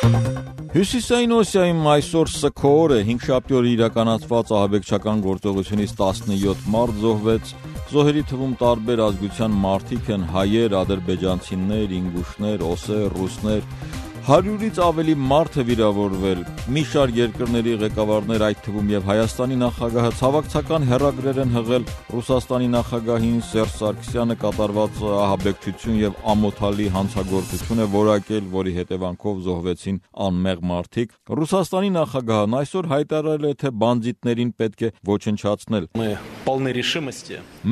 Հյուսիսային Օսիայում այսօր սգո օր է, 5 օրը իրականացված ահաբեկչական գործողությունից 17 մարդ զոհվեց, զոհերի թվում տարբեր ազգության մարդիկ են, հայեր, ադրբեջանցիներ, ինգուշներ, օսեր, ռուսներ, 100-ից ավելի մարդ է վիրավորվել, մի շարք երկրների ղեկավարներ, այդ թվում եւ Հայաստանի նախագահը ցավակցական հեռագրեր են հղել Ռուսաստանի նախագահին, Սերժ Սարգսյանը կատարված ահաբեկչություն եւ ամոթալի հանցագործություն է որակել, որի հետևանքով զոհվեցին անմեղ մարդիկ։ Ռուսաստանի նախագահն այսօր հայտարարել է, թե բանդիտներին պետք է ոչնչացնել։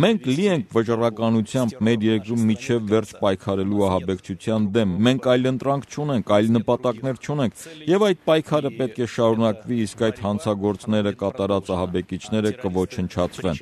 Մենք լի ենք վճռականությամբ մեր երկրում միջև վերջ պայքարելու ահաբեկչության դեմ, մենք այլընտրանք չունենք, այլ նպատակներ չունենք, եւ այդ պայքարը պետք է շարունակվի, իսկ այդ հանցագործները կատարած ահաբեկիչները կոչնչացվեն։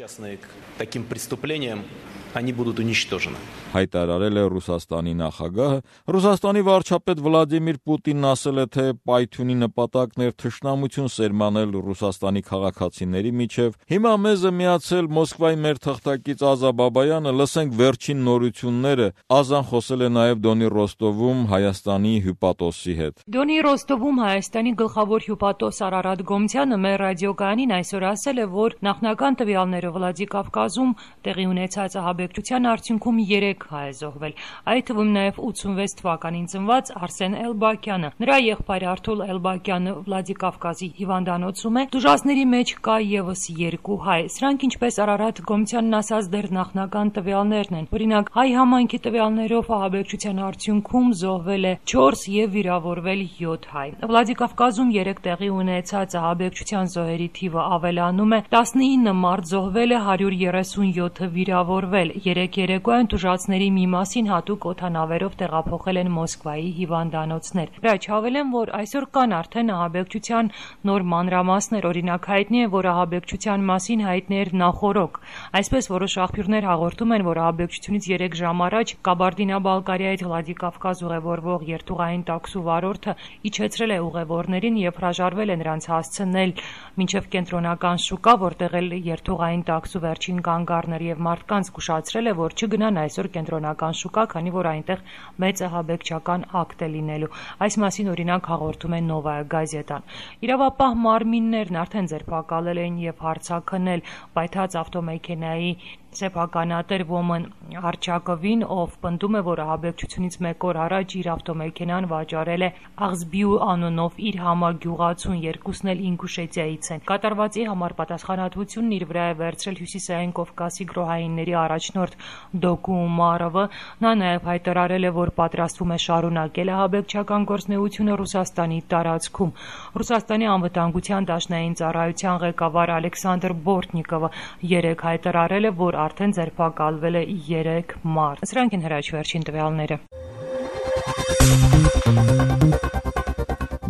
Հայտարարել է Ռուսաստանի նախագահը։ Ռուսաստանի վարչապետ Վլադիմիր Պուտինն ասել է, թե պայթյունի նպատակն էր թշնամություն սերմանել Ռուսաստանի քաղաքացիների միջև։ Հիմա մեզ է միացել Մոսկվայի մեր թղթակից Ազա Բաբայանը, լսենք վերջին նորությունները։ Ազան խոսել է նաև Դոնի Ռոստովում Հայաստանի հյուպատոսի հետ։ Դոնի Ռոստովում Հայաստանի գլխավոր հյուպատոս Արարատ Գոմցյանը մեր ռադիոկայանին այսօր ասել է, որ նախնական տվյալները Վլադիկավկազում տեղի ունեցած ահաբեկչության արդյունքում 3 հայ է զոհվել, այդ թվում նաև 86 թվականին ծնված Արսեն Էլբակյանը։ Նրա եղբայր Արթուր Էլբակյանը Վլադիկավկազի հիվանդանոցում է, դժվարների մեջ կա եւս 2 հայ։ Սրանք, ինչպես Արարատ Գոմցյանն ասաց, դեռ նախնական տվյալներն են։ Օրինակ, հայ համայնքի տվյալներով ահաբեկչության արդյունքում զոհվել է 4 եւ վիրավորվել 7 հայ։ Վլադիկավկազում 3 տեղի ունեցած ահաբեկչության զոհերի թիվը ավելանում է, 19 մարդ զոհվել է, 137-ը վիրավորվել։ Երեք երեկոյան տուժածների մի մասին հատուկ օդանավերով տեղափոխել են Մոսկվայի հիվանդանոցներ։ Հրաչավել որ այսօր կան արդեն ահաբեկչության նոր մանրամասներ, օրինակ հայտնի է, որ ահաբեկչության մասին հայտնի էր նախօրոք։ Այսպես որոշ աղբյուրներ հաղորդում են, որ ահաբեկչությունից 3 ժամ առաջ Կաբարդինա-Բալկարիայից Վլադիկավկազ ուղևորվող երթուղային տաքսու վարորդը իջեցրել է ուղևորներին եւ հրաժարվել է նրանց հասցնել մինչեւ կենտրոնական շուկա, որտեղ էլ երթուղային տաքսու վերջին կանգ առներ եւ մարդկանց զգուշացրել է, որ չգնան այսօր կենտրոնական շուկա, քանի որ այնտեղ մեծ ահաբեկչական ակտ է լինելու։ Այս մասին օրինակ հաղորդում է Նովայա գազետան։ Իրավապահ մարմիններն արդեն ձերբակալել են եւ հարձակնել պայթած ավտոմեքենայի սեփականատեր Ոմն Արչակովին, ով պնդում է, որ ահաբեկչությունից 1 օր առաջ իր ավտոմեքենան վաճառել է Աղզբիու անունով իր համագյուղացուն, երկուսն էլ Ինգուշետիայից են։ Կատարվածի համար պատասխանատվությունն իր վրա է վերցրել Հյուսիսային Կովկասի գրոհայինների առաջնորդ Դոկու Ումարովը։ Նա նաև հայտարարել է, որ պատրաստվում է շարունակել ահաբեկչական գործունեությունը Ռուսաստանի տարածքում։ Ռուսաստանի անվտանգության դաշնային ծառայության ղեկավար Ալեքսանդր Բորտնիկովը երեկ հայտարարել է, որ արդեն ձերբակալվել է 3 մարդ։ Սրանք են հրաչ վերջին տվյալները։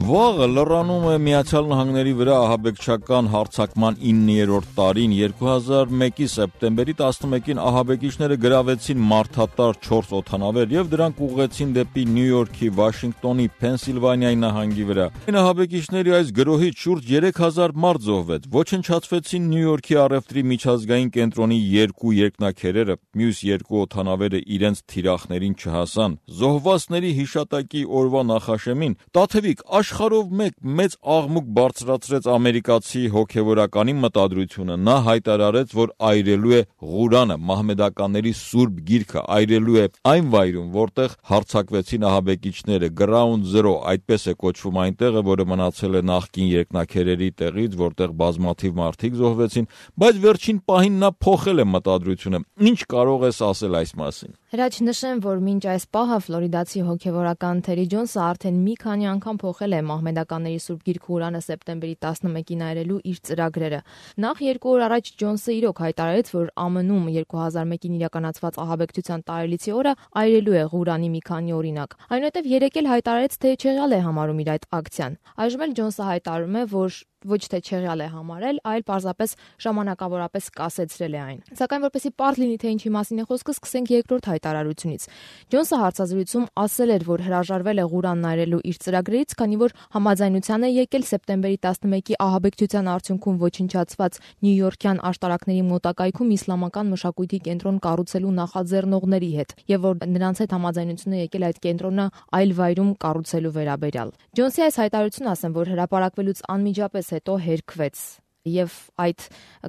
Վաղը լրանում է Միացյալ Նահանգների վրա ահաբեկչական հարձակման 9-րդ տարին։ 2001-ի սեպտեմբերի 11-ին ահաբեկիչները գրավեցին մարդատար 4 օդանավեր եւ դրանք ուղղեցին դեպի Նյու Յորքի, Վաշինգտոնի, Փենսիլվանիայի նահանգի վրա։ Ահաբեկիչների այս գրոհից շուրջ 3000 մարդ զոհվեց։ Ոչնչացվեցին Նյու Յորքի առևտրի միջազգային կենտրոնի 2 երկնաքերերը, մյուս 2 օդանավերը իրենց թիրախներին չհասան։ Զոհվածների հիշատակի օրվա նախաշեմին Տաթևիկ աշխարհով մեծ աղմուկ բարձրացրեց ամերիկացի հոգևորականի մտադրությունը։ Նա հայտարարեց, որ այրելու է Ղուրանը, մահմեդականների սուրբ գիրքը, այրելու է այն վայրում, որտեղ հարձակվեցին ահաբեկիչները, Ground Zero, այդպես է կոչվում այն տեղը, որը մնացել է նախկին երկնաքերերի տեղից, որտեղ բազմաթիվ մարդիկ զոհվեցին, բայց վերջին պահին նա փոխել է մտադրությունը։ Ինչ կարող ես ասել այս մասին։ Հրաչ նշեմ, որ մինչ այս պահը ֆլորիդացի հոգևորական Թերի Ջոնսը արդեն մի քանի անգամ փոխել է մահմեդականների սուրբ գիրք Ղուրանը սեպտեմբերի 11-ին այրելու իր ծրագրերը։ Նախ 2 օր առաջ Ջոնսը իրոք հայտարարեց, որ ԱՄՆ-ում 2001-ին իրականացված ահաբեկչության տարելիցի օրը այրելու է Ղուրանի մի քանի օրինակ։ Այնուհետև երեկ էլ հայտարարեց, թե չեղյալ է համարում իր այդ ակցիան։ Այժմ էլ Ջոնսը հայտարարում է, որ ոչ թե չեղյալ է համարել, այլ պարզապես ժամանակավորապես կասեցրել է այն։ Սակայն որպեսզի պարզ լինի, թե ինչի մասին է խոսքը, սկսենք երկրորդ հայտարարությունից։ Ջոնսը հարցազրույցում ասել էր, որ հրաժարվել է Ղուրան նայրելու իր ծրագրերից, քանի որ համաձայնության է եկել սեպտեմբերի 11-ի ահաբեկչության արդյունքում ոչնչացված նյույորքյան աշտարակների մոտակայքում իսլամական մշակույթի կենտրոն կառուցելու նախաձեռնողների հետ, եւ որ նրանց հետ համաձայնություն է եկել այդ կենտրոնը այլ վայրում կառուցելու վերաբերյալ։ Ջոնսի այս հայտարարությունը, ասեմ, որ հրապարակվելուց անմիջապես հետո հերքվեց եւ այդ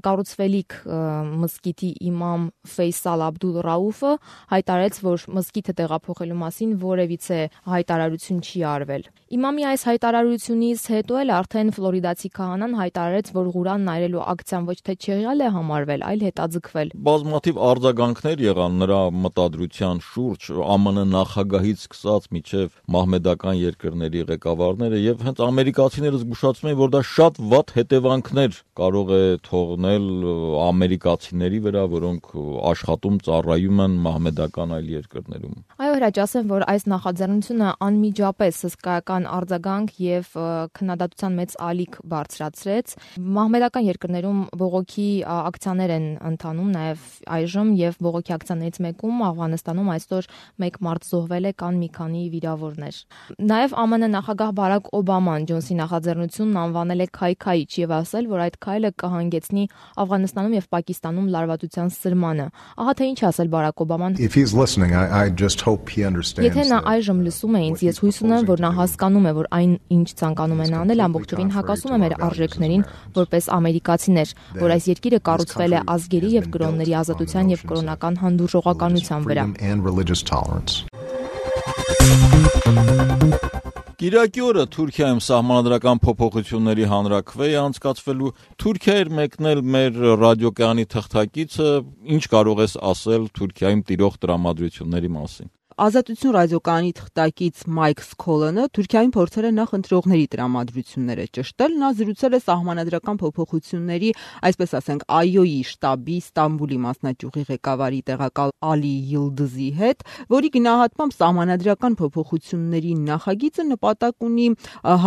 կառուցվելիք մզկիթի իմամ Ֆեյսալ Աբդուլ Ռաուֆը հայտարարեց, որ մզկիթը տեղափոխելու մասին որևիցե հայտարարություն չի արվել։ Իմամի այս հայտարարությունից հետո էլ արդեն ֆլորիդացի քահանան հայտարարեց, որ Ղուրան նայրելու ակցիան ոչ թե չեղյալ է համարվել, այլ հետաձգվել։ Բազմաթիվ արձագանքներ եղան նրա մտադրության շուրջ, ԱՄՆ նախագահից սկսած մինչև մահմեդական երկրների ղեկավարները, եւ հենց ամերիկացիները զգուշացնում են, որ դա շատ վատ հետևանքներ կարող է թողնել ամերիկացիների վրա, որոնք աշխատում ծառայում են մահմեդական այլ երկրներում։ Այո, հրաչ, ասեմ, որ այս նախաձեռնությունը անմիջապես հսկայական արձագանք եւ քննադատության մեծ ալիք բարձրացրեց։ Մահմեդական երկրներում բողոքի ակցիաներ են ընթանում նաեւ այժմ, եւ բողոքի ակցիաներից մեկում Աֆղանստանում այսօր 1 մարդ զոհվել է, կան մի քանի վիրավորներ։ Նաեւ ԱՄՆ նախագահ Բարակ Օբաման Ջոնսի նախաձեռնությունն անվանել է քայքայիչ եւ ասել, որ այդ քայլը կհանգեցնի Աֆղանստանում եւ Պակիստանում լարվածության սրմանը։ Ահա թե ինչ ասել Բարակ Օբաման։ Եթե նա այժմ լսում է ինձ, ես հույս ունեմ, որ նա հասկանում է, որ այն ինչ ցանկանում են անել ամբողջովին հակասում է մեր արժեքներին որպես ամերիկացիներ, որ այս երկիրը կառուցվել է ազգերի եւ կրոնների ազատության եւ կրոնական հանդուրժողականության վրա։ Կիրակի օրը Թուրքիայում սահմանադրական փոփոխությունների հանրաքվե է անցկացվելու։ Թուրքիա էր մեկնել մեր ռադիոկայանի թղթակիցը, ինչ կարող ես ասել Թուրքիայում տիրող տրամադրությունների մասին։ Ազատություն ռադիոկայանի թղթակից Մայք Սքոլանը Թուրքիայում փորձել է նախ ընտրողների տրամադրությունները ճշտել, նա զրուցել է սահմանադրական փոփոխությունների, այսպես ասենք, ԱՅՈ-ի շտաբի Ստամբուլի մասնաճյուղի ղեկավարի տեղակալ Ալի Յիլդզի հետ, որի գնահատմամբ սահմանադրական փոփոխությունների նախագիծը նպատակ ունի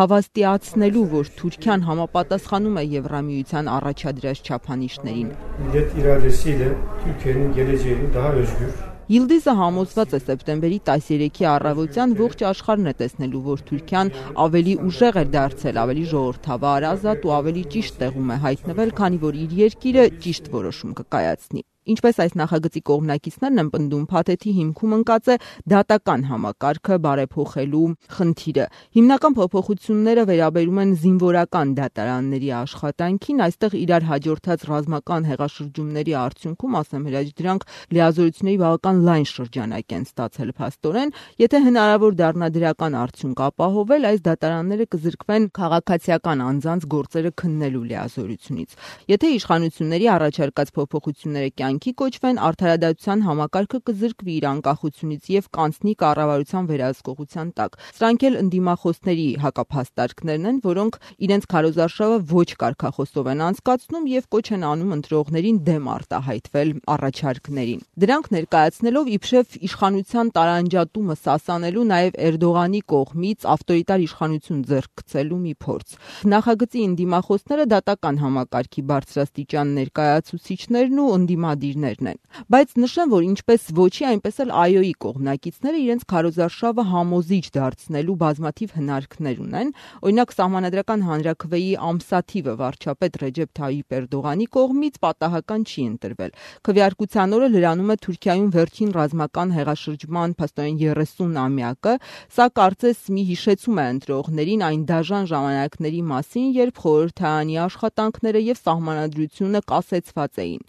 հավաստիացնելու, որ Թուրքիան համապատասխանում է Եվրամիության առաջադրած չափանիշներին։ Millet iradesiyle Türkiye'nin geleceğini daha özgür Յիլդիզը համոզված է սեպտեմբերի 13-ի առավոտյան ողջ աշխարհն է տեսնելու, որ Թուրքիան ավելի ուժեղ է դարձել, ավելի ժողովրդավար, ազատ ու ավելի ճիշտ տեղում է հայտնվել, քանի որ իր երկիրը ճիշտ որոշում կկայացնի։ Ինչպես այս նախագծի կողմնակիցներն են պնդում, փաթեթի հիմքում ընկած է դատական համակարգը բարեփոխելու խնդիրը։ Հիմնական փոփոխությունները վերաբերում են զինվորական դատարանների աշխատանքին, այստեղ իրար հաջորդած ռազմական հեղաշրջումների արդյունքում, ասեմ հրաչ, դրանք լիազորությունների բավական լայն շրջանակ են ստացել փաստորեն, եթե հնարավոր դառնա դրական արդյունք ապահովել, այս դատարանները կզրկվեն քաղաքացիական անձանց գործերը քննելու լիազորությունից։ Եթե իշխանությունների առաջարկած փոփոխությունները կյանքի կոչվեն, արդարադատության համակարգը կզրկվի իր անկախությունից եւ կանցնի կառավարության վերահսկողության տակ։ Սրանք էլ ընդդիմախոսների հակափաստարկներն են, որոնք իրենց քարոզարշավը ոչ կարգախոսով են անցկացնում եւ կոչ են անում ընտրողներին դեմ արտահայտվել առաջարկներին։ Դրանք ներկայացնելով իբրև իշխանության տարանջատումը սասանելու նաեւ Էրդողանի կողմից ավտորիտար իշխանություն ձեռք գցելու մի փորձ։ Նախագծի ընդդիմախոսները դատական համակարգի բարձրաստիճան ներկայացուցիչներն ու ընդդիմադիրներն են։ Բայց նշեմ, որ ինչպես ոչի, այնպես էլ ԱՅՈ-ի կողմնակիցները իրենց քարոզարշավը համոզիչ դարձնելու բազմաթիվ հնարքներ ունեն։ Օրինակ, սահմանադրական հանրաքվեի ամսաթիվը վարչապետ Ռեջեփ Թայիփ Էրդողանի կողմից պատահական չի ընտրվել։ Քվեարկության օրը լրանում է Թուրքիայում վերջին ռազմական հեղաշրջման փաստորեն 30-ամյակը, սա կարծես մի հիշեցում է ընտրողներին այն դաժան ժամանակների մասին, երբ խորհրդարանի աշխատանքները եւ սահմանադրությունը կասեցված էին։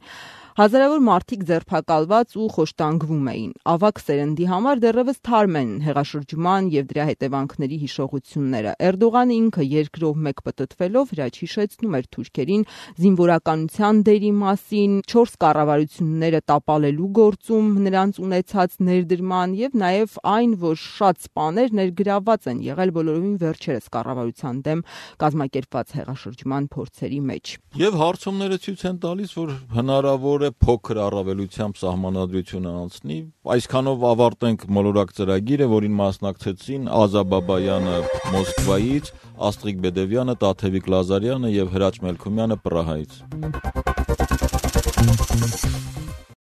Հազարավոր մարդիկ ձերբակալված ու խոշտանգվում էին։ Ավագ սերնդի համար դեռևս թարմ են հեղաշրջման եւ դրա հետևանքների հիշողությունները։ Էրդողանը ինքը երկրով մեկ պտտվելով հրաչ հիշեցնում էր թուրքերին զինվորականության դերի մասին, 4 կառավարությունները տապալելու գործում նրանց ունեցած ներդրման եւ նաեւ այն, որ շատ սպաներ ներգրավված են եղել բոլորովին վերջերս կառավարության դեմ կազմակերպված հեղաշրջման փորձերի մեջ։ Եվ հարցումները ցույց են տալիս, որ հնարավոր է փոքր առավելությամբ սահմանադրությունը անցնի։ Այսքանով ավարտենք մոլորակ ծրագիրը, որին մասնակցեցին Ազա Բաբայանը Մոսկվայից, Աստղիկ Բեդևյանը, Տաթևիկ Լազարյանը եւ Հրաչ Մելքումյանը Պրահայից։